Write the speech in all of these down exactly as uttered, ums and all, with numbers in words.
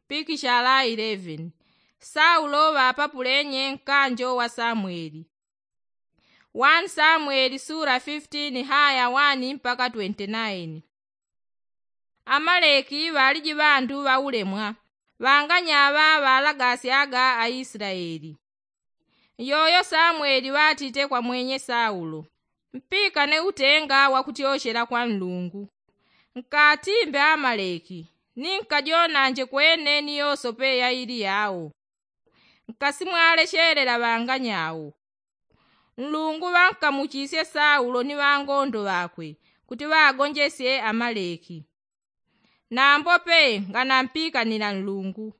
pikishala eleven. Saulo ŵapapulenye nkanjo wa samweli. Wani samweli sula fifteen haya wani mpaka twenty nine. Amaleki ŵaliji ŵandu ŵaulemwa, ŵanganyaŵa ŵalagasyaga aislaeli. Yoyo samweli ŵatite kwa mwenye saulo, mpikane utenga wakutyoshela kwa nlungu, nkatimbe amaleki, ni nkajonanje kwene ni yosope yaili yao. Nkasimwaleshelela ŵanganyawo. Nlungu ŵankamuchisye saulo ni ŵangondo ŵakwe kuti ŵagonjesye amaleki. Nambope nganampikanila nlungu.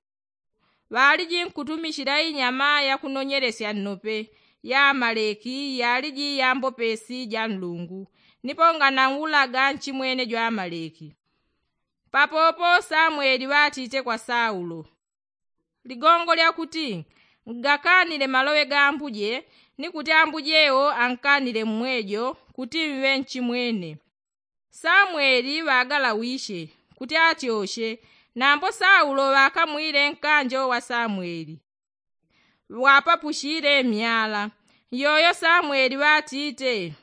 Ŵaliji nkutumishila inyama yakunonyelesya nnope ya amaleki yaliji yambopesi ja nlungu, nipo ngananwulaga nchimwene jwa amaleki. Papopo samweli ŵatite kwa saulo, ligongo lyakuti ngakanile maloŵe ga ambuje, ni kuti ambuje wo ankanile mmwejo kuti mŵe nchimwene. Samweli ŵagalawishe kuti atyoshe. Nambo saulo ŵakamwile nkanjo wa samweli, ŵapapushile myala. Yoyo samweli ŵatite,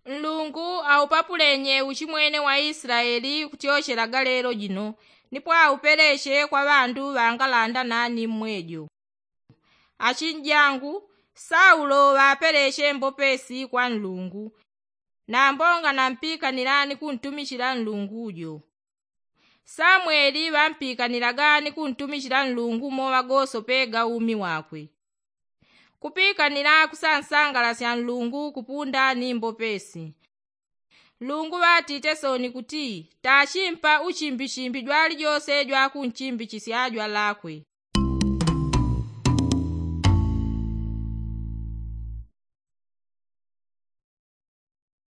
nlungu aupapulenye uchimwene wa islaeli kutyoshelaga lelo jino, nipo aupeleshe kwa ŵandu ŵangalanda nani mmwejo. Achinjangu, saulo ŵapeleshe mbopesi kwa nlungu, nambo nganampikanila ni kuntumishila nlungu jo. Samweli ŵampikanilaga ni kuntumishila nlungu moŵa gosope ga umi wakwe. Kupikanila kusansangalasya nlungu kupunda ni mbopesi. Nlungu ŵatite soni kuti, tachimpa uchimbichimbi jwalijose jwakunchimbichisya jwalakwe.